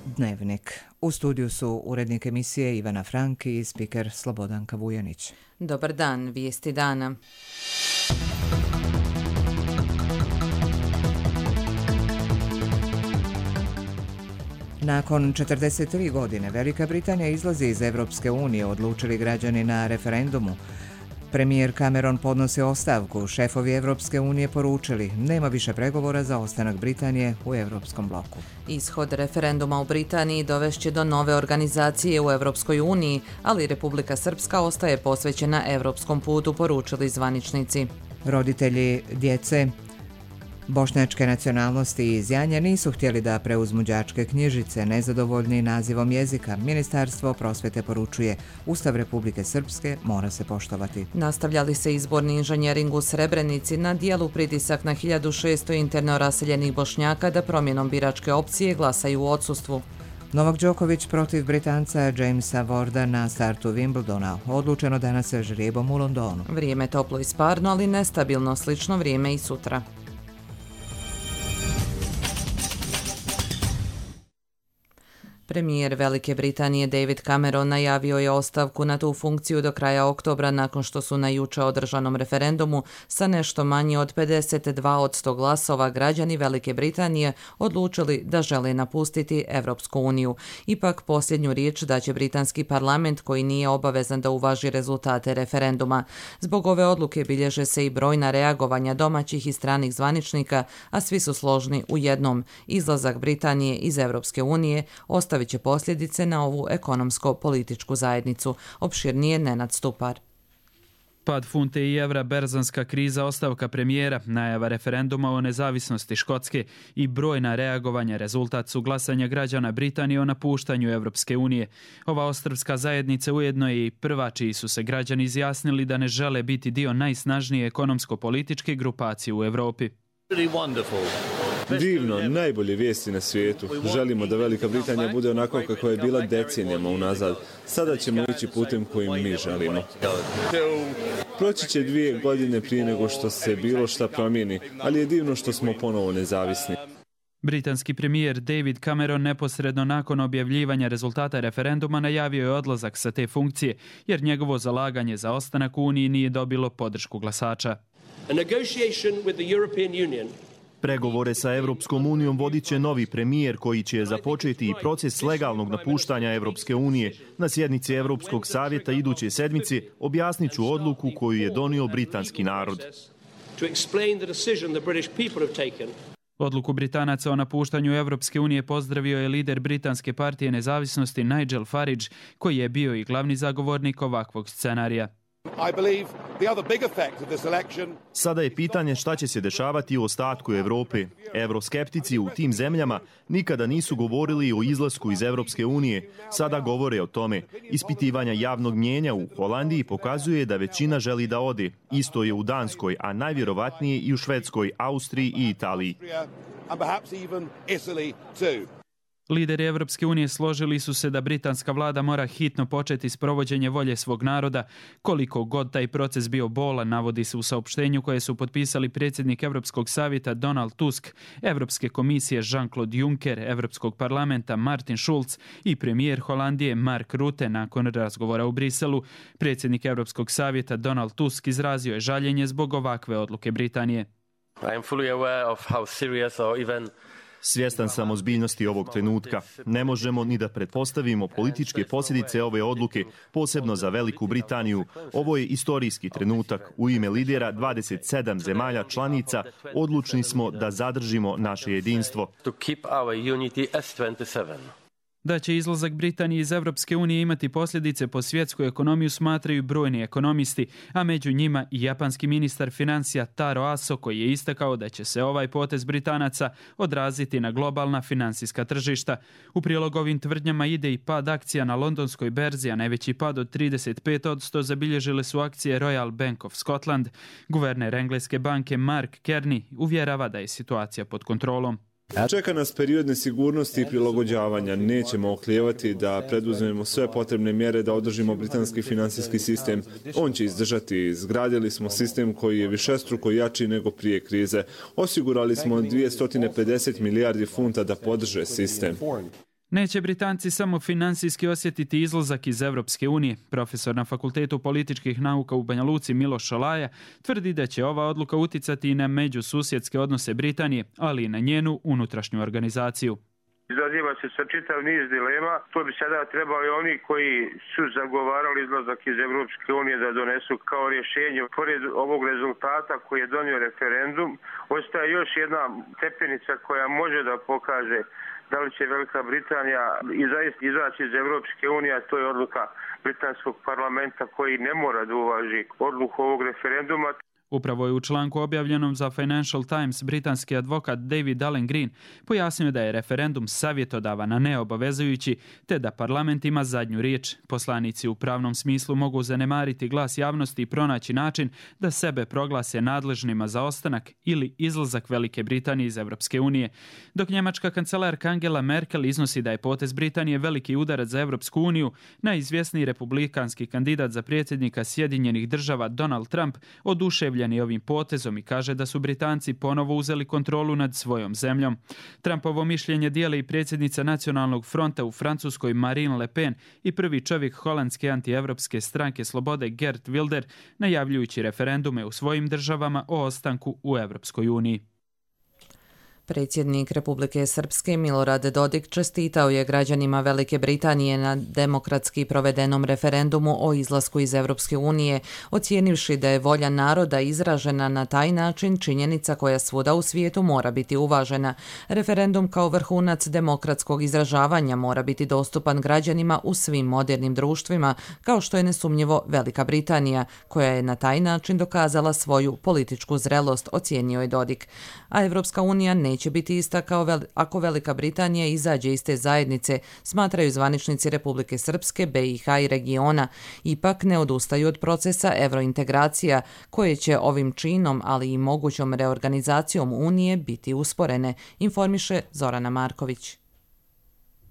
Dnevnik. U studiju su urednik emisije Ivana Frank i spiker Slobodanka Vujanić. Dobar dan, vijesti dana. Nakon 43 godine Velika Britanija izlazi iz Evropske unije, odlučili građani na referendumu. Premijer Cameron podnosi ostavku, šefovi Evropske unije poručili nema više pregovora za ostanak Britanije u Evropskom bloku. Ishod referenduma u Britaniji dovešće do nove organizacije u Evropskoj uniji, ali Republika Srpska ostaje posvećena evropskom putu, poručili zvaničnici. Roditelji djece bošnjačke nacionalnosti iz Janja nisu htjeli da preuzmu đačke knjižice, nezadovoljni nazivom jezika. Ministarstvo prosvete poručuje Ustav Republike Srpske mora se poštovati. Nastavljali se izborni inženjering u Srebrenici, na dijelu pritisak na 1600 interno raseljenih Bošnjaka da promjenom biračke opcije glasaju u odsustvu. Novak Đoković protiv Britanca Jamesa Warda na startu Wimbledona. Odlučeno danas sa žrijebom u Londonu. Vrijeme toplo i sparno, ali nestabilno, slično vrijeme i sutra. Premijer Velike Britanije David Cameron najavio je ostavku na tu funkciju do kraja oktobra nakon što su na juče održanom referendumu sa nešto manje od 52% glasova građani Velike Britanije odlučili da žele napustiti Evropsku uniju. Ipak posljednju riječ daće britanski parlament koji nije obavezan da uvaži rezultate referenduma. Zbog ove odluke bilježe se i brojna reagovanja domaćih i stranih zvaničnika, a svi su složni u jednom. Izlazak Britanije iz Evropske unije ostavit će posljedice na ovu ekonomsko-političku zajednicu. Opširnije Nenad Stupar. Pad funte i evra, berzanska kriza, ostavka premijera, najava referenduma o nezavisnosti Škotske i brojna reagovanja rezultat su glasanja građana Britanije o napuštanju Evropske unije. Ova ostrvska zajednica ujedno je i prva čiji su se građani izjasnili da ne žele biti dio najsnažnije ekonomsko-političke grupacije u Evropi. Divno, najbolje vijesti na svijetu. Želimo da Velika Britanija bude onako kako je bila decenijama unazad. Sada ćemo ići putem kojim mi želimo. Proći će 2 godine prije nego što se bilo šta promijeni, ali je divno što smo ponovo nezavisni. Britanski premijer David Cameron neposredno nakon objavljivanja rezultata referenduma najavio je odlazak sa te funkcije, jer njegovo zalaganje za ostanak u Uniji nije dobilo podršku glasača. Pregovore sa Evropskom unijom vodit će novi premijer koji će započeti i proces legalnog napuštanja Evropske unije. Na sjednici Evropskog savjeta iduće sedmice objasnit ću odluku koju je donio britanski narod. Odluku Britanaca o napuštanju Evropske unije pozdravio je lider Britanske partije nezavisnosti Nigel Farage, koji je bio i glavni zagovornik ovakvog scenarija. Sada je pitanje šta će se dešavati u ostatku Evrope. Evroskeptici u tim zemljama nikada nisu govorili o izlasku iz Evropske unije. Sada govore o tome. Ispitivanja javnog mnijenja u Holandiji pokazuje da većina želi da ode. Isto je u Danskoj, a najvjerovatnije i u Švedskoj, Austriji i Italiji. Lideri Evropske unije složili su se da britanska vlada mora hitno početi s provođenje volje svog naroda. Koliko god taj proces bio bolan, navodi se u saopštenju koje su potpisali predsjednik Evropskog savjeta Donald Tusk, Evropske komisije Jean-Claude Juncker, Evropskog parlamenta Martin Schulz i premijer Holandije Mark Rutte nakon razgovora u Briselu. Predsjednik Evropskog savjeta Donald Tusk izrazio je žaljenje zbog ovakve odluke Britanije. Svjestan sam ozbiljnosti ovog trenutka. Ne možemo ni da pretpostavimo političke posljedice ove odluke, posebno za Veliku Britaniju. Ovo je istorijski trenutak. U ime lidera 27 zemalja članica odlučni smo da zadržimo naše jedinstvo. Da će izlazak Britanije iz Evropske unije imati posljedice po svjetsku ekonomiju smatraju brojni ekonomisti, a među njima i japanski ministar financija Taro Aso koji je istakao da će se ovaj potez Britanaca odraziti na globalna finansijska tržišta. U prilog ovim tvrdnjama ide i pad akcija na londonskoj berzi, a najveći pad od 35% zabilježile su akcije Royal Bank of Scotland. Guverner engleske banke Mark Carney uvjerava da je situacija pod kontrolom. Čeka nas period nesigurnosti i prilagođavanja. Nećemo oklijevati da preduzmemo sve potrebne mjere da održimo britanski finansijski sistem. On će izdržati. Izgradili smo sistem koji je višestruko jači nego prije krize. Osigurali smo 250 milijardi funta da podrže sistem. Neće Britanci samo finansijski osjetiti izlazak iz Evropske unije. Profesor na Fakultetu političkih nauka u Banja Luci Miloš Šalaja tvrdi da će ova odluka uticati i na međususjedske odnose Britanije, ali i na njenu unutrašnju organizaciju. Izaziva se sa čitav niz dilema. To bi sada trebali oni koji su zagovarali izlazak iz Evropske unije da donesu kao rješenje. Pored ovog rezultata koji je donio referendum, ostaje još jedna stepenica koja može da pokaže da li će Velika Britanija izaći iz Evropske unije, a to je odluka britanskog parlamenta koji ne mora da uvaži odluku ovog referenduma. Upravo je u članku objavljenom za Financial Times britanski advokat David Allen Green pojasnio da je referendum savjetodavan, a ne obavezujući, te da parlament ima zadnju riječ. Poslanici u pravnom smislu mogu zanemariti glas javnosti i pronaći način da sebe proglase nadležnima za ostanak ili izlazak Velike Britanije iz Evropske unije. Dok njemačka kancelarka Angela Merkel iznosi da je potez Britanije veliki udarac za Evropsku uniju, najizvjesniji republikanski kandidat za predsjednika Sjedinjenih Država Donald Trump oduševljen ovim potezom i kaže da su Britanci ponovo uzeli kontrolu nad svojom zemljom. Trumpovo mišljenje dijeli i predsjednica Nacionalnog fronta u Francuskoj Marine Le Pen i prvi čovjek holandske antievropske stranke Slobode Geert Wilder, najavljujući referendume u svojim državama o ostanku u Evropskoj uniji. Predsjednik Republike Srpske Milorad Dodik čestitao je građanima Velike Britanije na demokratski provedenom referendumu o izlasku iz Evropske unije, ocijenivši da je volja naroda izražena na taj način činjenica koja svuda u svijetu mora biti uvažena. Referendum kao vrhunac demokratskog izražavanja mora biti dostupan građanima u svim modernim društvima, kao što je nesumnjivo Velika Britanija, koja je na taj način dokazala svoju političku zrelost, ocijenio je Dodik. A Evropska unija neće biti ista ako Velika Britanija izađe iz te zajednice, smatraju zvaničnici Republike Srpske, BiH i regiona. Ipak ne odustaju od procesa evrointegracija, koje će ovim činom, ali i mogućom reorganizacijom Unije biti usporene, informiše Zorana Marković.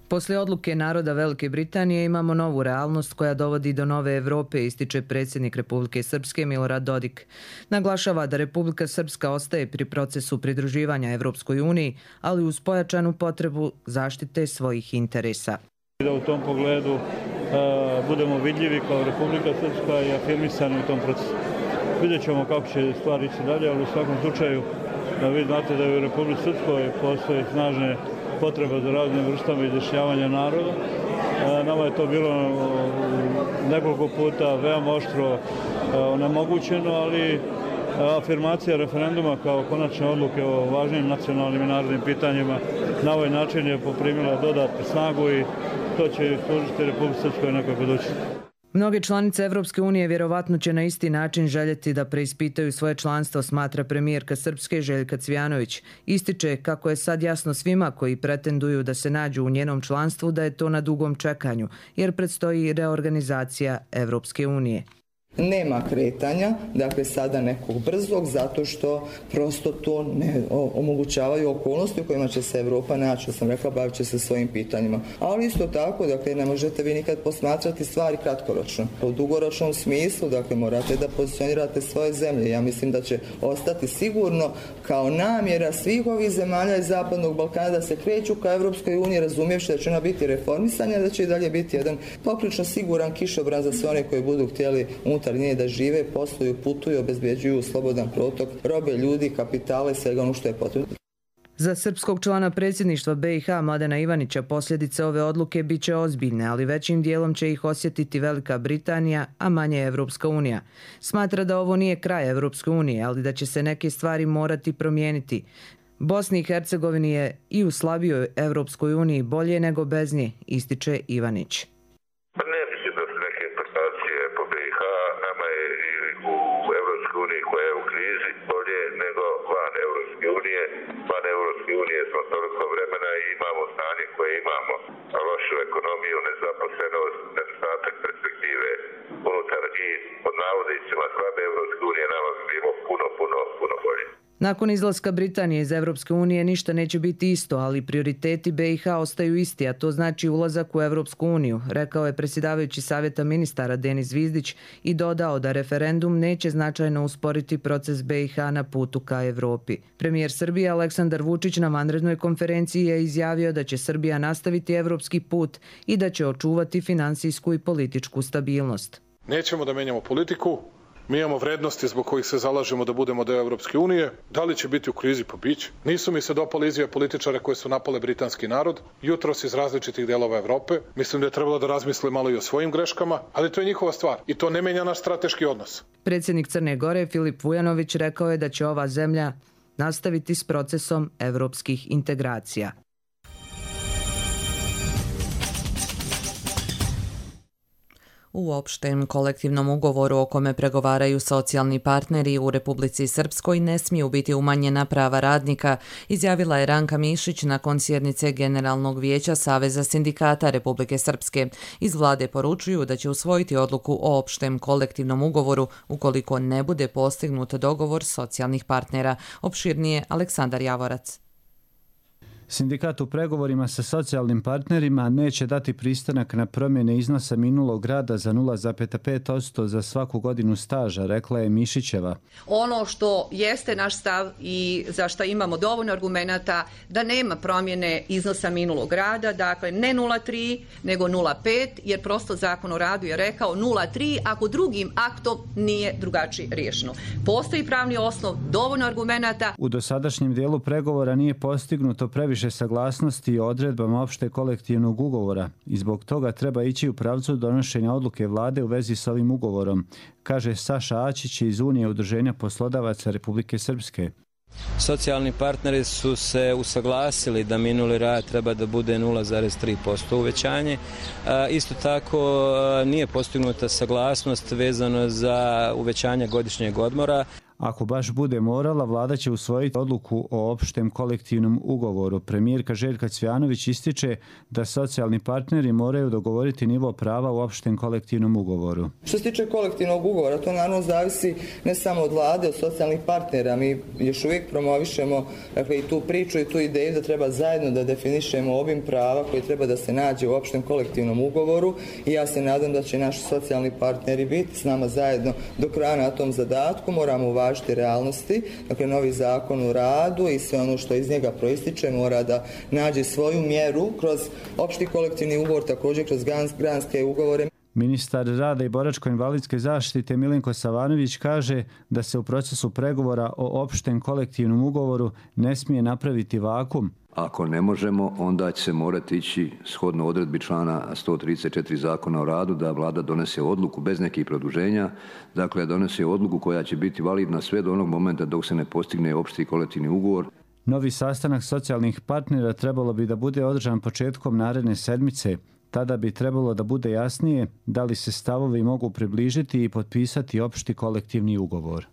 Poslije odluke naroda Velike Britanije imamo novu realnost koja dovodi do nove Evrope, ističe predsjednik Republike Srpske Milorad Dodik. Naglašava da Republika Srpska ostaje pri procesu pridruživanja Evropskoj uniji, ali uz pojačanu potrebu zaštite svojih interesa. Da u tom pogledu budemo vidljivi kao Republika Srpska i afirmisani u tom procesu. Vidjet ćemo kako će stvari ići dalje, ali u svakom slučaju vi znate da u Republici Srpskoj postoje snažne potreba za raznim vrstama izjašnjavanja naroda. Nama je to bilo nekoliko puta veoma oštro onemogućeno, ali afirmacija referenduma kao konačne odluke o važnim nacionalnim i narodnim pitanjima na ovaj način je poprimila dodatnu snagu i to će služiti Republici Srpskoj nekako doći. Mnoge članice Evropske unije vjerovatno će na isti način željeti da preispitaju svoje članstvo, smatra premijerka Srpske Željka Cvijanović. Ističe kako je sad jasno svima koji pretenduju da se nađu u njenom članstvu da je to na dugom čekanju, jer predstoji reorganizacija Evropske unije. Nema kretanja, dakle sada nekog brzog, zato što prosto to ne omogućavaju okolnosti u kojima će se Evropa naći, što sam rekla, bavit će se svojim pitanjima. Ali isto tako, dakle, ne možete vi nikad posmatrati stvari kratkoročno. U dugoročnom smislu, dakle, morate da pozicionirate svoje zemlje. Ja mislim da će ostati sigurno kao namjera svih ovih zemalja iz Zapadnog Balkana da se kreću ka Evropskoj uniji, razumijevši da će ona biti reformisanja, da će i dalje biti jedan poprilično siguran kišobran za sve one koji budu htjeli unutar nje da žive, posluju, putuju, obezbjeđuju slobodan protok robe, ljudi, kapitala i svega ono što je potrebno. Za srpskog člana predsjedništva BiH Mladena Ivanića posljedice ove odluke bit će ozbiljne, ali većim dijelom će ih osjetiti Velika Britanija, a manje Evropska unija. Smatra da ovo nije kraj Evropske unije, ali da će se neke stvari morati promijeniti. Bosni i Hercegovini je i u slabijoj Evropskoj uniji bolje nego bez nje, ističe Ivanić. Smo toliko vremena i imamo stanje koje imamo, lošu ekonomiju, nezaposlenost, nedostatak perspektive unutar i pod navodnicima slabe Evropske unije, nama bi bilo puno bolje. Nakon izlaska Britanije iz Evropske unije ništa neće biti isto, ali prioriteti BiH ostaju isti, a to znači ulazak u Evropsku uniju, rekao je predsjedavajući Savjeta ministara Denis Zvizdić i dodao da referendum neće značajno usporiti proces BiH na putu ka Evropi. Premijer Srbije Aleksandar Vučić na vanrednoj konferenciji je izjavio da će Srbija nastaviti evropski put i da će očuvati finansijsku i političku stabilnost. Nećemo da menjamo politiku. Mi imamo vrednosti zbog kojih se zalažemo da budemo deo Evropske unije. Da li će biti u krizi? Pa biće. Nisu mi se dopale izjave političara koje su napale britanski narod, jutros iz različitih delova Evrope. Mislim da je trebalo da razmisle malo i o svojim greškama, ali to je njihova stvar i to ne menja naš strateški odnos. Predsjednik Crne Gore Filip Vujanović rekao je da će ova zemlja nastaviti s procesom evropskih integracija. U opštem kolektivnom ugovoru o kome pregovaraju socijalni partneri u Republici Srpskoj ne smiju biti umanjena prava radnika, izjavila je Ranka Mišić nakon sjednice Generalnog vijeća Saveza sindikata Republike Srpske. Iz vlade poručuju da će usvojiti odluku o opštem kolektivnom ugovoru ukoliko ne bude postignut dogovor socijalnih partnera. Opširnije Aleksandar Javorac. Sindikat u pregovorima sa socijalnim partnerima neće dati pristanak na promjene iznosa minulog rada za 0,5% za svaku godinu staža, rekla je Mišićeva. Ono što jeste naš stav i za što imamo dovoljno argumenata da nema promjene iznosa minulog rada, dakle ne 0,3 nego 0,5 jer prosto Zakon o radu je rekao 0,3 ako drugim aktom nije drugačije riješeno. Postoji pravni osnov, dovoljno argumenata. U dosadašnjem dijelu pregovora nije postignuto previše saglasnosti o odredbama opšte kolektivnog ugovora i zbog toga treba ići u pravcu donošenja odluke vlade u vezi s ovim ugovorom, kaže Saša Ačić iz Unije udruženja poslodavaca Republike Srpske. Socijalni partneri su se usaglasili da minuli rad treba da bude 0,3% uvećanje. Isto tako nije postignuta saglasnost vezano za uvećanje godišnjeg odmora. Ako baš bude morala, vlada će usvojiti odluku o opštem kolektivnom ugovoru. Premijerka Željka Cvjanović ističe da socijalni partneri moraju dogovoriti nivo prava u opštem kolektivnom ugovoru. Što se tiče kolektivnog ugovora, to naravno zavisi ne samo od vlade, od socijalnih partnera. Mi još uvijek promovišemo i tu priču i tu ideju da treba zajedno da definišemo obim prava koji treba da se nađe u opštem kolektivnom ugovoru i ja se nadam da će naši socijalni partneri biti s nama zajedno do kraja na tom zadatku. Moramo uvažiti realnosti, dakle novi zakon o radu i sve ono što iz njega proističe mora da nađe svoju mjeru kroz opšti kolektivni ugovor, također kroz granske ugovore. Ministar rada i boračko-invalidske zaštite Milenko Savanović kaže da se u procesu pregovora o opštem kolektivnom ugovoru ne smije napraviti vakum. Ako ne možemo, onda će se morati ići shodno odredbi člana 134 Zakona o radu da vlada donese odluku bez nekih produženja, dakle donese odluku koja će biti validna sve do onog momenta dok se ne postigne opšti kolektivni ugovor. Novi sastanak socijalnih partnera trebalo bi da bude održan početkom naredne sedmice. Tada bi trebalo da bude jasnije da li se stavovi mogu približiti i potpisati opšti kolektivni ugovor.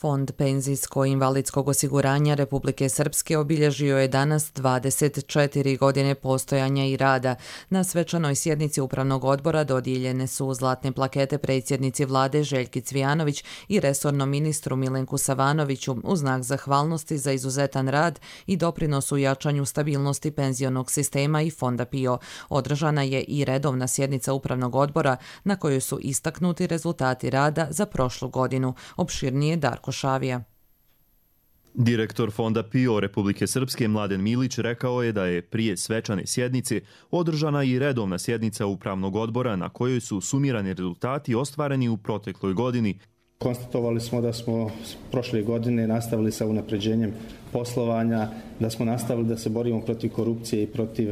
Fond penzijsko-invalidskog osiguranja Republike Srpske obilježio je danas 24 godine postojanja i rada. Na svečanoj sjednici Upravnog odbora dodijeljene su zlatne plakete predsjednici vlade Željki Cvijanović i resornom ministru Milenku Savanoviću u znak zahvalnosti za izuzetan rad i doprinos u jačanju stabilnosti penzionog sistema i Fonda PIO. Održana je i redovna sjednica Upravnog odbora na kojoj su istaknuti rezultati rada za prošlu godinu. Opširnije Darko Šavija. Direktor Fonda PIO Republike Srpske Mladen Milić rekao je da je prije svečane sjednice održana i redovna sjednica Upravnog odbora na kojoj su sumirani rezultati ostvareni u protekloj godini. Konstatovali smo da smo prošle godine nastavili sa unapređenjem poslovanja, da smo nastavili da se borimo protiv korupcije i protiv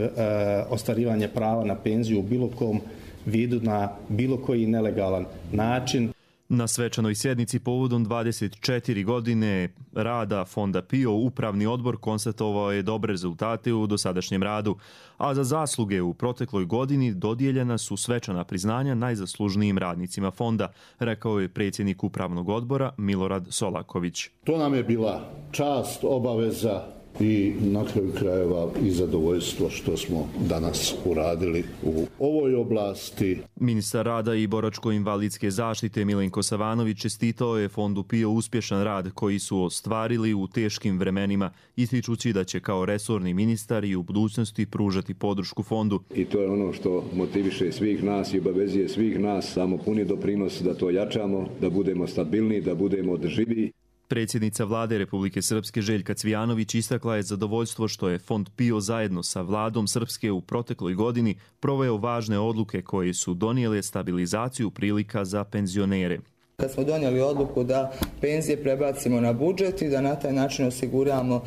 ostvarivanja prava na penziju u bilo kom vidu na bilo koji nelegalan način. Na svečanoj sjednici povodom 24 godine rada Fonda PIO Upravni odbor konstatovao je dobre rezultate u dosadašnjem radu, a za zasluge u protekloj godini dodijeljena su svečana priznanja najzaslužnijim radnicima fonda, rekao je predsjednik Upravnog odbora Milorad Solaković. To nam je bila čast, obaveza i na kraju krajeva i zadovoljstvo što smo danas uradili u ovoj oblasti. Ministar rada i boračko-invalidske zaštite Milenko Savanović čestitao je Fondu PIO uspješan rad koji su ostvarili u teškim vremenima, ističući da će kao resorni ministar i u budućnosti pružati podršku fondu. I to je ono što motiviše svih nas i obavezuje svih nas, samo puni doprinos da to jačamo, da budemo stabilni, da budemo održivi. Predsjednica vlade Republike Srpske Željka Cvijanović istakla je zadovoljstvo što je Fond PIO zajedno sa vladom Srpske u protekloj godini proveo važne odluke koje su donijele stabilizaciju prilika za penzionere. Kad smo donijeli odluku da penzije prebacimo na budžet i da na taj način osiguramo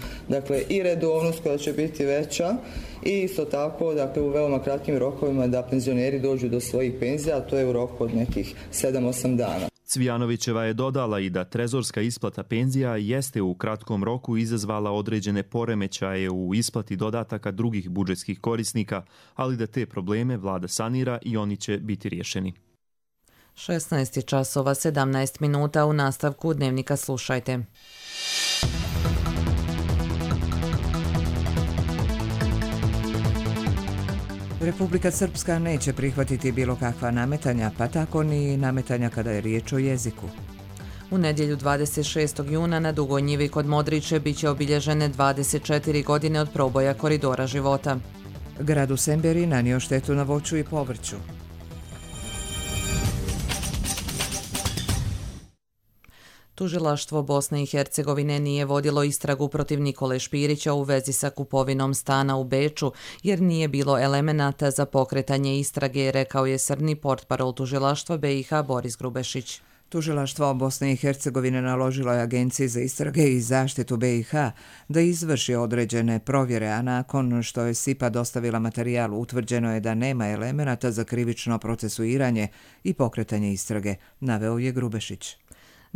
i redovnost koja će biti veća i isto tako u veoma kratkim rokovima da penzioneri dođu do svojih penzija, a to je u roku od nekih 7-8 dana. Cvijanovićeva je dodala i da trezorska isplata penzija jeste u kratkom roku izazvala određene poremećaje u isplati dodataka drugih budžetskih korisnika, ali da te probleme vlada sanira i oni će biti riješeni. 16 časova 17 minuta, u nastavku Dnevnika slušajte. Republika Srpska neće prihvatiti bilo kakva nametanja, pa tako ni nametanja kada je riječ o jeziku. U nedjelju 26. juna na Dugoj njivi kod Modriće biće obilježene 24 godine od proboja koridora života. Grad u Semberi nanio štetu na voću i povrću. Tužilaštvo Bosne i Hercegovine nije vodilo istragu protiv Nikole Špirića u vezi sa kupovinom stana u Beču, jer nije bilo elemenata za pokretanje istrage, rekao je srni portparol tužilaštva BiH Boris Grubešić. Tužilaštvo Bosne i Hercegovine naložilo je Agenciji za istrage i zaštitu BiH da izvrši određene provjere, a nakon što je SIPA dostavila materijal, utvrđeno je da nema elemenata za krivično procesuiranje i pokretanje istrage, naveo je Grubešić.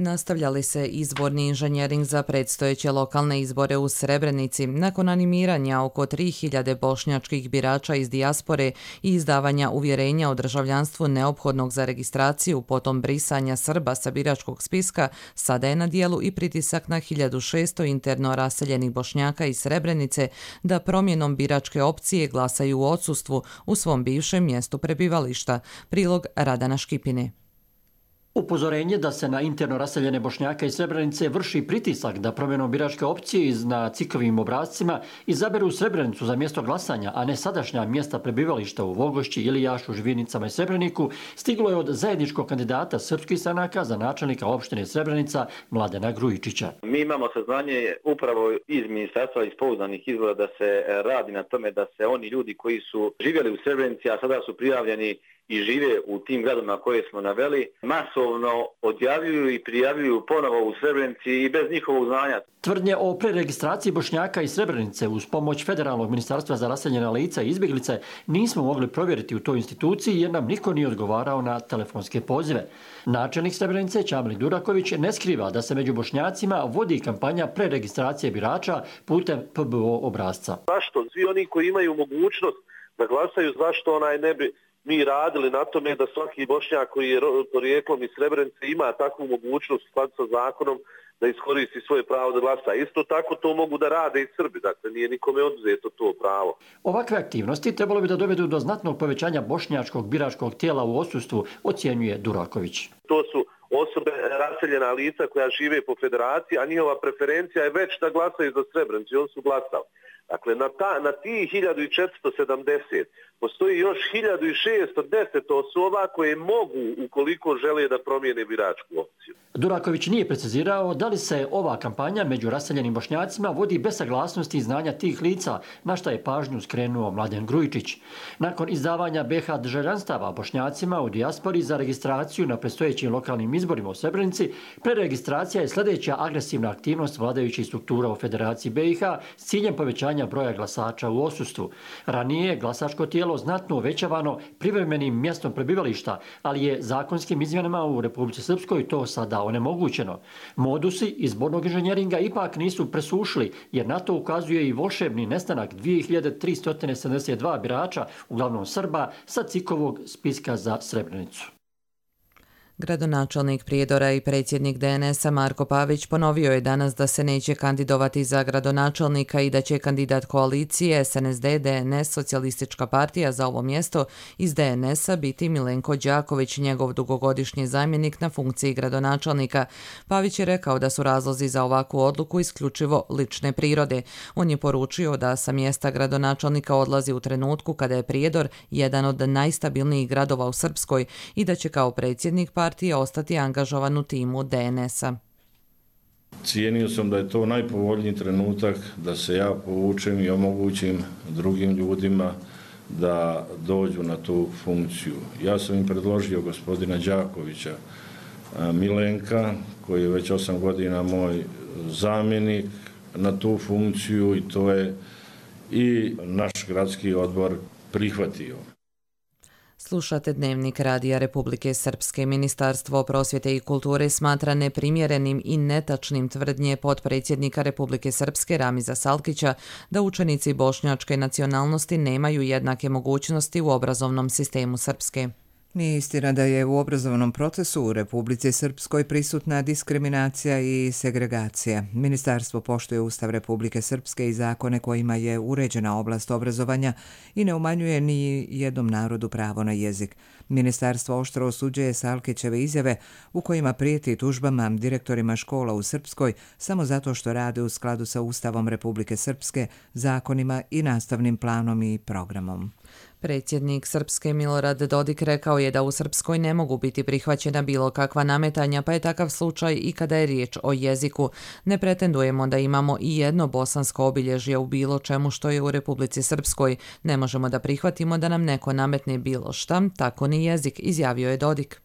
Nastavljali se izborni inženjering za predstojeće lokalne izbore u Srebrenici. Nakon animiranja oko 3000 bošnjačkih birača iz dijaspore i izdavanja uvjerenja o državljanstvu neophodnog za registraciju, potom brisanja Srba sa biračkog spiska, sada je na dijelu i pritisak na 1600 interno raseljenih Bošnjaka iz Srebrenice da promjenom biračke opcije glasaju u odsustvu u svom bivšem mjestu prebivališta. Prilog Radana Škipine. Upozorenje da se na interno raseljene Bošnjaka iz Srebrenice vrši pritisak da promjenom biračke opcije na cikovim obrascima izaberu Srebrenicu za mjesto glasanja, a ne sadašnja mjesta prebivališta u Vogošći, Ilijašu, Žvinicama i Srebreniku, stiglo je od zajedničkog kandidata srpskih stranaka za načelnika opštine Srebrenica Mladena Grujičića. Mi imamo saznanje upravo iz ministarstva iz pouzdanih izvora da se radi na tome da se oni ljudi koji su živjeli u Srebrenici, a sada su prijavljeni i žive u tim gradovima koje smo naveli, masovno odjavljuju i prijavljuju ponovo u Srebrenici i bez njihovog znanja. Tvrdnje o preregistraciji Bošnjaka iz Srebrenice uz pomoć Federalnog ministarstva za raseljena lica i izbjeglice nismo mogli provjeriti u toj instituciji jer nam niko nije odgovarao na telefonske pozive. Načelnik Srebrenice Čamli Duraković ne skriva da se među Bošnjacima vodi kampanja preregistracije birača putem PBO obrasca. Zašto? Svi oni koji imaju mogućnost da glasaju, zašto ne bi mi radili na tome da svaki Bošnjak koji je porijeklom iz Srebrenice ima takvu mogućnost u skladu sa zakonom da iskoristi svoje pravo da glasa. Isto tako to mogu da rade i Srbi, dakle nije nikome oduzeto to pravo. Ovakve aktivnosti trebalo bi da dovedu do znatnog povećanja bošnjačkog biračkog tijela u odsustvu, ocjenjuje Duraković. To su osobe raseljena lica koja žive po federaciji, a njihova preferencija je već da glasaju za Srebrenicu i oni su glasali. Dakle, na tih 1470 postoji još 1610 osoba koje mogu, ukoliko žele da promijene biračku opciju. Duraković nije precizirao da li se ova kampanja među raseljenim Bošnjacima vodi bez saglasnosti i znanja tih lica, na šta je pažnju skrenuo Mladen Grujičić. Nakon izdavanja BiH državljanstava Bošnjacima u dijaspori za registraciju na predstojećim lokalnim izborima u Srebrenici, preregistracija je sljedeća agresivna aktivnost vladajućih struktura u Federaciji BiH s ciljem povećanja broja glasača u odsustvu. Ranije je glasačko tijelo znatno uvećavano privremenim mjestom prebivališta, ali je zakonskim izmjenama u Republici Srpskoj to sada onemogućeno. Modusi izbornog inženjeringa ipak nisu presušili, jer na to ukazuje i volšebni nestanak 2372 birača, uglavnom Srba, sa cikovog spiska za Srebrenicu. Gradonačelnik Prijedora i predsjednik DNS-a Marko Pavić ponovio je danas da se neće kandidovati za gradonačelnika i da će kandidat koalicije SNSD, DNS, Socijalistička partija za ovo mjesto iz DNS-a biti Milenko Đaković, njegov dugogodišnji zamjenik na funkciji gradonačelnika. Pavić je rekao da su razlozi za ovakvu odluku isključivo lične prirode. On je poručio da sa mjesta gradonačelnika odlazi u trenutku kada je Prijedor jedan od najstabilnijih gradova u Srpskoj i da će kao predsjednik partija ostati angažovan u timu DNS-a. Cijenio sam da je to najpovoljniji trenutak da se ja povučem i omogućim drugim ljudima da dođu na tu funkciju. Ja sam im predložio gospodina Đakovića, Milenka, koji je već 8 godina moj zamjenik, na tu funkciju i to je i naš gradski odbor prihvatio. Slušate Dnevnik Radija Republike Srpske. Ministarstvo prosvjete i kulture smatra neprimjerenim i netačnim tvrdnje potpredsjednika Republike Srpske Ramiza Salkića da učenici bošnjačke nacionalnosti nemaju jednake mogućnosti u obrazovnom sistemu Srpske. Nije istina da je u obrazovnom procesu u Republici Srpskoj prisutna diskriminacija i segregacija. Ministarstvo poštuje Ustav Republike Srpske i zakone kojima je uređena oblast obrazovanja i ne umanjuje ni jednom narodu pravo na jezik. Ministarstvo oštro osuđuje Salkićeve izjave u kojima prijeti tužbama direktorima škola u Srpskoj samo zato što rade u skladu sa Ustavom Republike Srpske, zakonima i nastavnim planom i programom. Predsjednik Srpske Milorad Dodik rekao je da u Srpskoj ne mogu biti prihvaćena bilo kakva nametanja, pa je takav slučaj i kada je riječ o jeziku. Ne pretendujemo da imamo i jedno bosansko obilježje u bilo čemu što je u Republici Srpskoj. Ne možemo da prihvatimo da nam neko nametne bilo šta, tako ni jezik, izjavio je Dodik.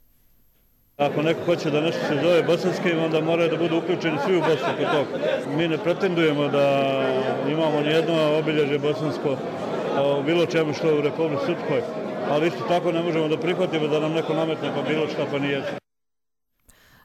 Ako neko hoće da nešto se zove bosanskim, onda moraju da budu uključeni svi u Bosnu kod toga. Mi ne pretendujemo da imamo nijedno obilježje bosansko u bilo čemu što je u Republici Srpskoj, ali isto tako ne možemo da prihvatimo da nam neko nametne pa bilo šta pa nije.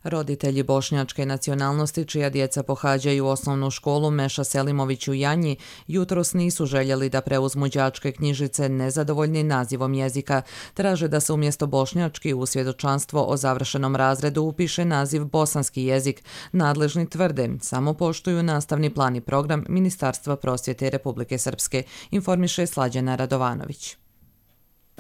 Roditelji bošnjačke nacionalnosti čija djeca pohađaju osnovnu školu Meša Selimović u Janji jutros nisu željeli da preuzmu đačke knjižice nezadovoljni nazivom jezika. Traže da se umjesto bošnjački u svjedočanstvo o završenom razredu upiše naziv bosanski jezik. Nadležni tvrde samo poštuju nastavni plan i program Ministarstva prosvjete Republike Srpske, informiše Slađana Radovanović.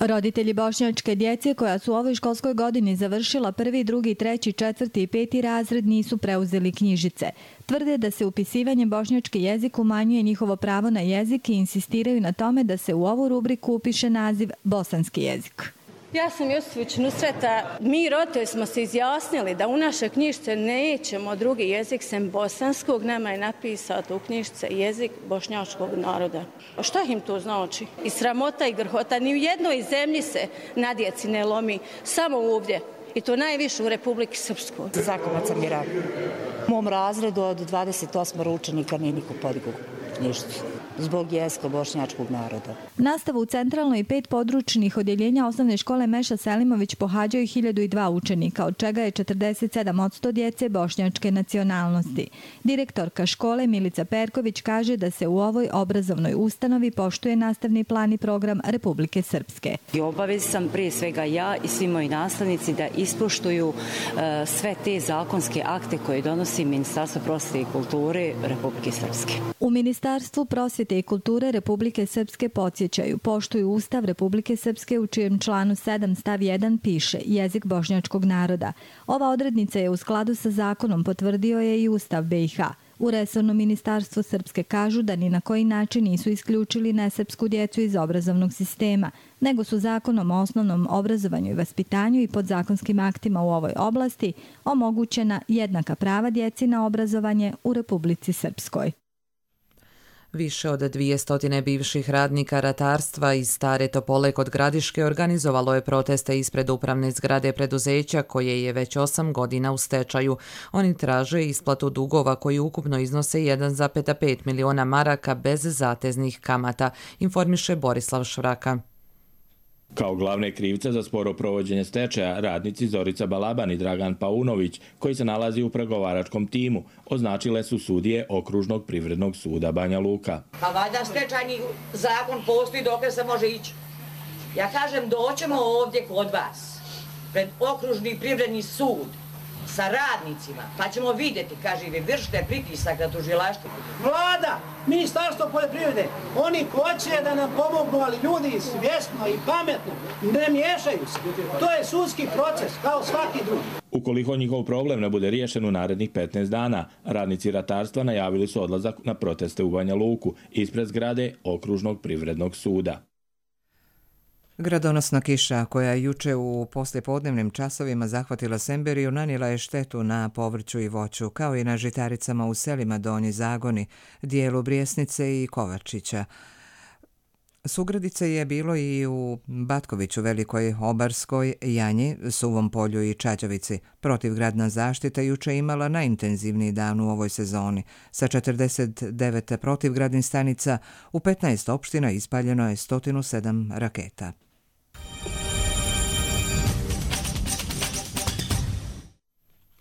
Roditelji bošnjačke djece koja su u ovoj školskoj godini završila 1., 2., 3., 4. i 5. razred nisu preuzeli knjižice. Tvrde da se upisivanje bošnjački jezik umanjuje njihovo pravo na jezik i insistiraju na tome da se u ovu rubriku upiše naziv bosanski jezik. Ja sam Josipović Nusreta. Mi roditelji smo se izjasnili da u naše knjižice nećemo drugi jezik sem bosanskog. Nama je napisati u knjižice jezik bošnjačkog naroda. Šta im to znači? I sramota i grhota. Ni u jednoj zemlji se na djeci ne lomi. Samo ovdje. I to najviše u Republiki Srpskoj. Zakovac sam je rad. U mom razredu od 28 učenika nije niko podigao knjižicu zbog jezika bošnjačkog naroda. Nastavu u centralnoj i 5 područnih odjeljenja osnovne škole Meša Selimović pohađaju 1002 učenika, od čega je 47% djece bošnjačke nacionalnosti. Direktorka škole Milica Perković kaže da se u ovoj obrazovnoj ustanovi poštuje nastavni plan i program Republike Srpske. I obavez sam prije svega ja i svi moji nastavnici da ispoštuju sve te zakonske akte koje donosi Ministarstvo prosvjete i kulture Republike Srpske. U Ministarstvu prosvjete i kulture Republike Srpske podsjećaju, poštuju Ustav Republike Srpske u čijem članu 7 stav 1 piše jezik bošnjačkog naroda. Ova odrednica je u skladu sa zakonom, potvrdio je i Ustav BiH. U resornom ministarstvu Srpske kažu da ni na koji način nisu isključili nesrpsku djecu iz obrazovnog sistema, nego su zakonom o osnovnom obrazovanju i vaspitanju i podzakonskim aktima u ovoj oblasti omogućena jednaka prava djeci na obrazovanje u Republici Srpskoj. Više od 200 bivših radnika ratarstva iz Stare Topole kod Gradiške organizovalo je proteste ispred upravne zgrade preduzeća koje je već 8 godina u stečaju. Oni traže isplatu dugova koji ukupno iznose 1,5 miliona maraka bez zateznih kamata, informiše Borislav Švraka. Kao glavne krivce za sporo provođenje stečaja, radnici Zorica Balaban i Dragan Paunović, koji se nalazi u pregovaračkom timu, označile su sudije Okružnog privrednog suda Banja Luka. Pa valjda stečajni zakon postoji dok se može ići. Ja kažem, doćemo ovdje kod vas pred okružni privredni sud sa radnicima, pa ćemo vidjeti, kaže, vi vršite pritisak na tužilaštvo. Vlada, Ministarstvo poljoprivrede, oni hoće da nam pomognu, ali ljudi svjesno i pametno ne miješaju se. To je sudski proces, kao svaki drugi. Ukoliko njihov problem ne bude riješen u narednih 15 dana, radnici ratarstva najavili su odlazak na proteste u Banja Luku ispred zgrade okružnog privrednog suda. Gradonosna kiša koja je juče u poslijepodnevnim časovima zahvatila Semberiju nanijela je štetu na povrću i voću, kao i na žitaricama u selima Donji Zagoni, dijelu Brijesnice i Kovačića. Sugradice je bilo i u Batkoviću, Velikoj Obarskoj, Janji, Suvom polju i Čađavici. Protivgradna zaštita juče imala najintenzivniji dan u ovoj sezoni. Sa 49 protivgradnih stanica u 15 opština ispaljeno je 107 raketa.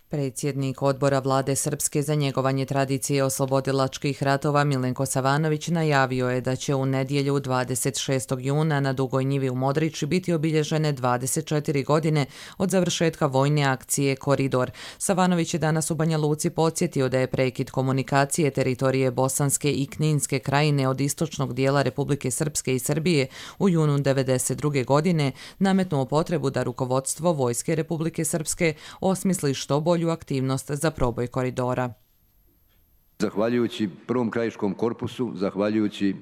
Predsjednik odbora vlade Srpske za njegovanje tradicije oslobodilačkih ratova Milenko Savanović najavio je da će u nedjelju 26. juna na Dugoj njivi u Modriči biti obilježene 24 godine od završetka vojne akcije Koridor. Savanović je danas u Banja Luci podsjetio da je prekid komunikacije teritorije Bosanske i Kninske krajine od istočnog dijela Republike Srpske i Srbije u junu 1992. godine nametnuo potrebu da rukovodstvo Vojske Republike Srpske osmisli što bolju aktivnost za proboj koridora. Zahvaljujući Prvom krajiškom korpusu, zahvaljujući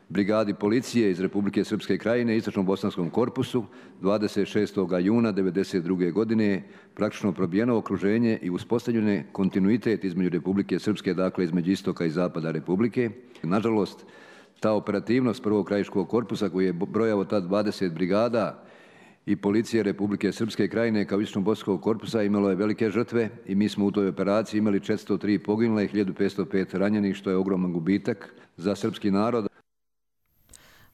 brigadi policije iz Republike Srpske krajine, Istočnom bosanskom korpusu, 26. juna 1992. godine praktično probijeno okruženje i uspostavljene kontinuitet između Republike Srpske, dakle između istoka i zapada Republike. Nažalost, ta operativnost Prvog krajiškog korpusa koji je brojao tad 20 brigada i policije Republike Srpske krajine kao Istočnog bosanskog korpusa imalo je velike žrtve i mi smo u toj operaciji imali 403 poginule i 1505 ranjenih, što je ogroman gubitak za srpski narod.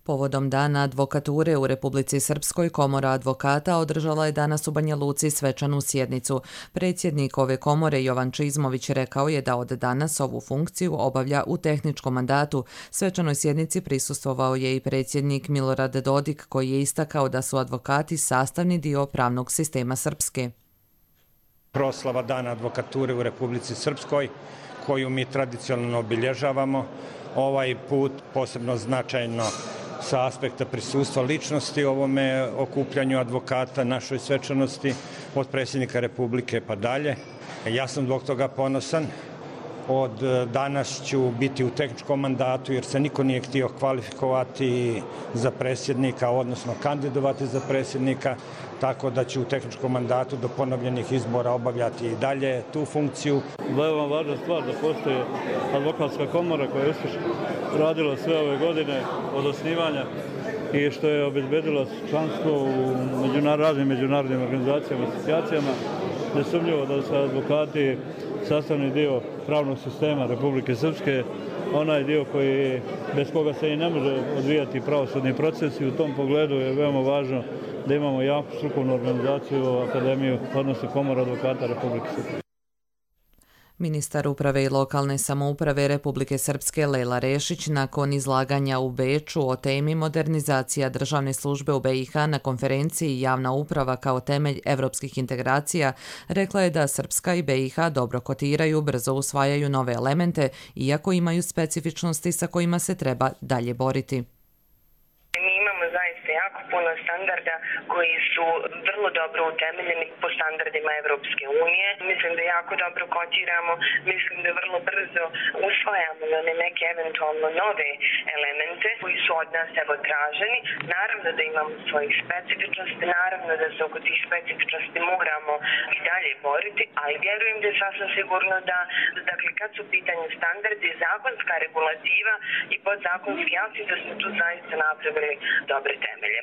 Povodom Dana advokature u Republici Srpskoj, Komora advokata održala je danas u Banja Luci svečanu sjednicu. Predsjednik ove komore Jovan Čizmović rekao je da od danas ovu funkciju obavlja u tehničkom mandatu. Svečanoj sjednici prisustvovao je i predsjednik Milorad Dodik, koji je istakao da su advokati sastavni dio pravnog sistema Srpske. Proslava Dana advokature u Republici Srpskoj, koju mi tradicionalno obilježavamo, ovaj put posebno značajno sa aspekta prisustva ličnosti ovome okupljanju advokata, našoj svečanosti od predsjednika Republike pa dalje. Ja sam zbog toga ponosan. Od danas ću biti u tehničkom mandatu jer se niko nije htio kvalifikovati za predsjednika, odnosno kandidovati za predsjednika, tako da ću u tehničkom mandatu do ponovljenih izbora obavljati i dalje tu funkciju. Veoma važna stvar da postoji advokatska komora koja je uspješno radila sve ove godine od osnivanja i što je obezbedila članstvo u raznim međunarodnim organizacijama i asocijacijama. Nesumnjivo da su advokati sastavni dio pravnog sistema Republike Srpske, onaj dio bez koga se i ne može odvijati pravosudni proces i u tom pogledu je veoma važno da imamo jaku strukovnu organizaciju, akademiju, odnosno Komoru advokata Republike Srpske. Ministar uprave i lokalne samouprave Republike Srpske Lejla Rešić nakon izlaganja u Beču o temi modernizacija državne službe u BiH na konferenciji Javna uprava kao temelj evropskih integracija rekla je da Srpska i BiH dobro kotiraju, brzo usvajaju nove elemente, iako imaju specifičnosti sa kojima se treba dalje boriti. Puno standarda koji su vrlo dobro utemeljeni po standardima Evropske unije. Mislim da jako dobro kotiramo, mislim da vrlo brzo usvajamo neke eventualno nove elemente koji su od nas evo traženi. Naravno da imamo svojih specifičnosti, naravno da se oko tih specifičnosti moramo i dalje boriti, ali vjerujem da je sasvim sigurno da, dakle, kad su u pitanju standardi, zakonska regulativa i podzakonski akti, da smo tu zaista napravili dobre temelje.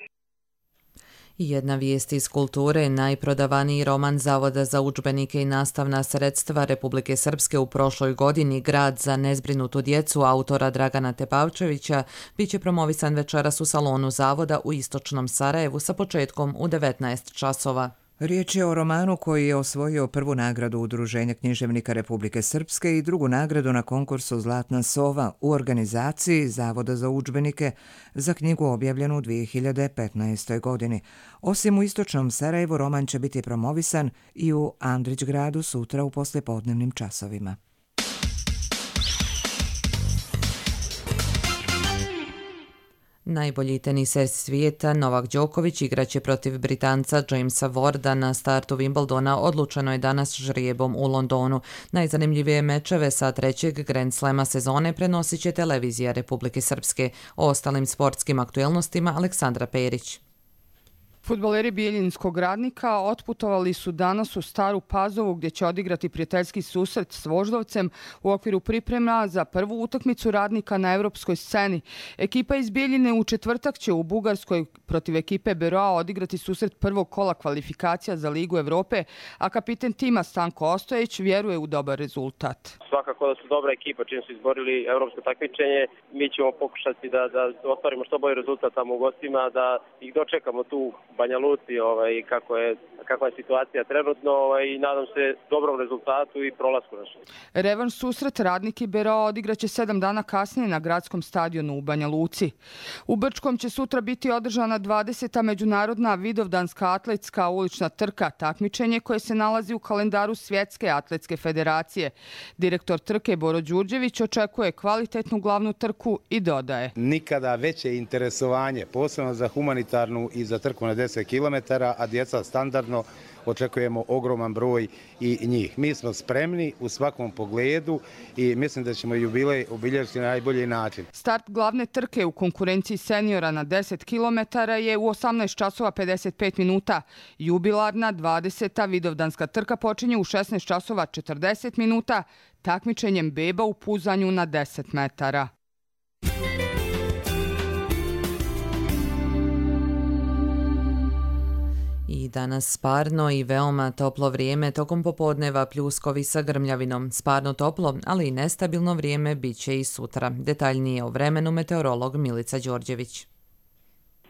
Jedna vijest iz kulture, najprodavaniji roman Zavoda za udžbenike i nastavna sredstva Republike Srpske u prošloj godini, Grad za nezbrinutu djecu, autora Dragana Tepavčevića, bit će promovisan večeras u salonu Zavoda u istočnom Sarajevu sa početkom u 19 časova. Riječ je o romanu koji je osvojio prvu nagradu Udruženja književnika Republike Srpske i drugu nagradu na konkursu Zlatna sova u organizaciji Zavoda za udžbenike za knjigu objavljenu u 2015. godini. Osim u istočnom Sarajevu, roman će biti promovisan i u Andrićgradu sutra u poslijepodnevnim časovima. Najbolji teniser svijeta Novak Đoković igraće protiv Britanca Jamesa Warda na startu Wimbledona. Odlučeno je danas žrijebom u Londonu. Najzanimljivije mečeve sa trećeg Grand Slama sezone prenosit će televizija Republike Srpske. O ostalim sportskim aktuelnostima Aleksandra Perić. Fudbaleri Bijeljinskog Radnika otputovali su danas u Staru Pazovu gdje će odigrati prijateljski susret s Voždovcem u okviru priprema za prvu utakmicu Radnika na evropskoj sceni. Ekipa iz Bijeljine u četvrtak će u Bugarskoj protiv ekipe Beroa odigrati susret prvog kola kvalifikacija za Ligu Evrope, a kapiten tima Stanko Ostojić vjeruje u dobar rezultat. Svakako da su dobra ekipa čim su izborili evropsko takmičenje. Mi ćemo pokušati da ostvarimo što bolji rezultat tamo u gostima, da ih dočekamo tu Banja Luci, kakva je situacija trenutno i nadam se dobrom rezultatu i prolasku našem. Revanš susret Radnik i Beroa odigraće 7 dana kasnije na gradskom stadionu u Banja Luci. U Brčkom će sutra biti održana 20. međunarodna vidovdanska atletska ulična trka, takmičenje koje se nalazi u kalendaru Svjetske atletske federacije. Direktor trke Boro Đurđević očekuje kvalitetnu glavnu trku i dodaje: nikada veće interesovanje, posebno za humanitarnu i za trku na 10 km, a djeca standardno očekujemo ogroman broj i njih. Mi smo spremni u svakom pogledu i mislim da ćemo jubilej obilježiti na najbolji način. Start glavne trke u konkurenciji seniora na 10 km je u 18 časova 55 minuta. Jubilarna 20. vidovdanska trka počinje u 16 časova 40 minuta takmičenjem beba u puzanju na 10 metara. I danas sparno i veoma toplo vrijeme, tokom popodneva pljuskovi sa grmljavinom. Sparno toplo, ali i nestabilno vrijeme bit će i sutra. Detaljnije o vremenu meteorolog Milica Đorđević.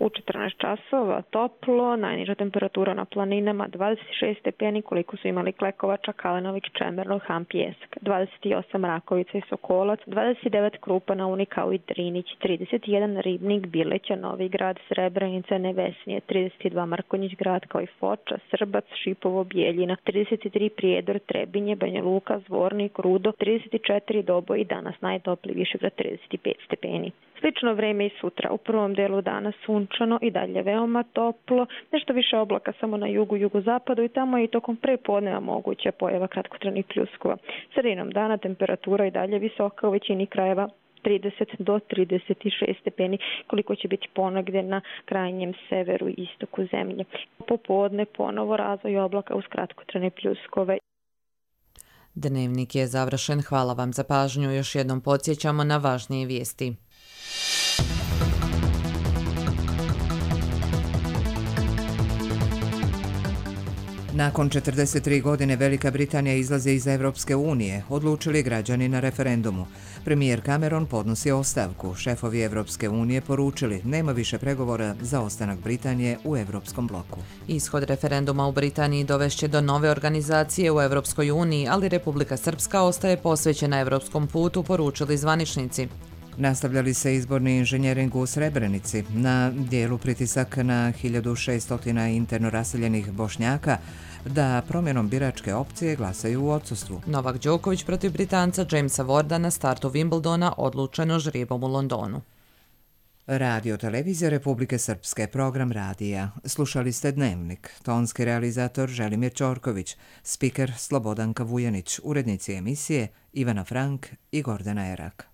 U 14 časova toplo, najniža temperatura na planinama 26 stepeni koliko su imali Klekovača, Kalenović, Čemerno, Han, Pjesak, 28 Rakovica i Sokolac, 29 Krupa na Uni kao i Drinić, 31 Ribnik, Bileća, Novi Grad, Srebrenica, Nevesnije, 32 Mrkonjić Grad kao i Foča, Srbac, Šipovo, Bijeljina, 33 Prijedor, Trebinje, Banja Luka, Zvornik, Rudo, 34 Doboj i danas najtopliji Višegrad 35 stepeni. Slično vreme i sutra. U prvom delu dana sunčano i dalje veoma toplo, nešto više oblaka samo na jugu, jugozapadu i tamo je i tokom prepodneva moguća pojava kratkotrajnih pljuskova. Sredinom dana temperatura i dalje visoka u većini krajeva 30 do 36 stepeni, koliko će biti ponegdje na krajnjem severu i istoku zemlje. Popodne ponovo razvoj oblaka uz kratkotrajne pljuskove. Dnevnik je završen. Hvala vam za pažnju. Još jednom podsjećamo na važnije vijesti. Nakon 43 godine Velika Britanija izlazi iz Evropske unije, odlučili građani na referendumu. Premijer Cameron podnosi ostavku. Šefovi Evropske unije poručili nema više pregovora za ostanak Britanije u Evropskom bloku. Ishod referenduma u Britaniji dovešće do nove organizacije u Evropskoj uniji, ali Republika Srpska ostaje posvećena evropskom putu, poručili zvaničnici. Nastavljali se izborni inženjering u Srebrenici. Na dijelu pritisak na 1600 interno raseljenih Bošnjaka da promjenom biračke opcije glasaju u odsustvu. Novak Đoković protiv Britanca Jamesa Warda na startu Wimbledona odlučeno žrijebom u Londonu. Radio televizija Republike Srpske, program radija. Slušali ste Dnevnik. Tonski realizator Želimir Ćorković, spiker Slobodanka Vujanić, urednici emisije Ivana Frank i Gordana Erak.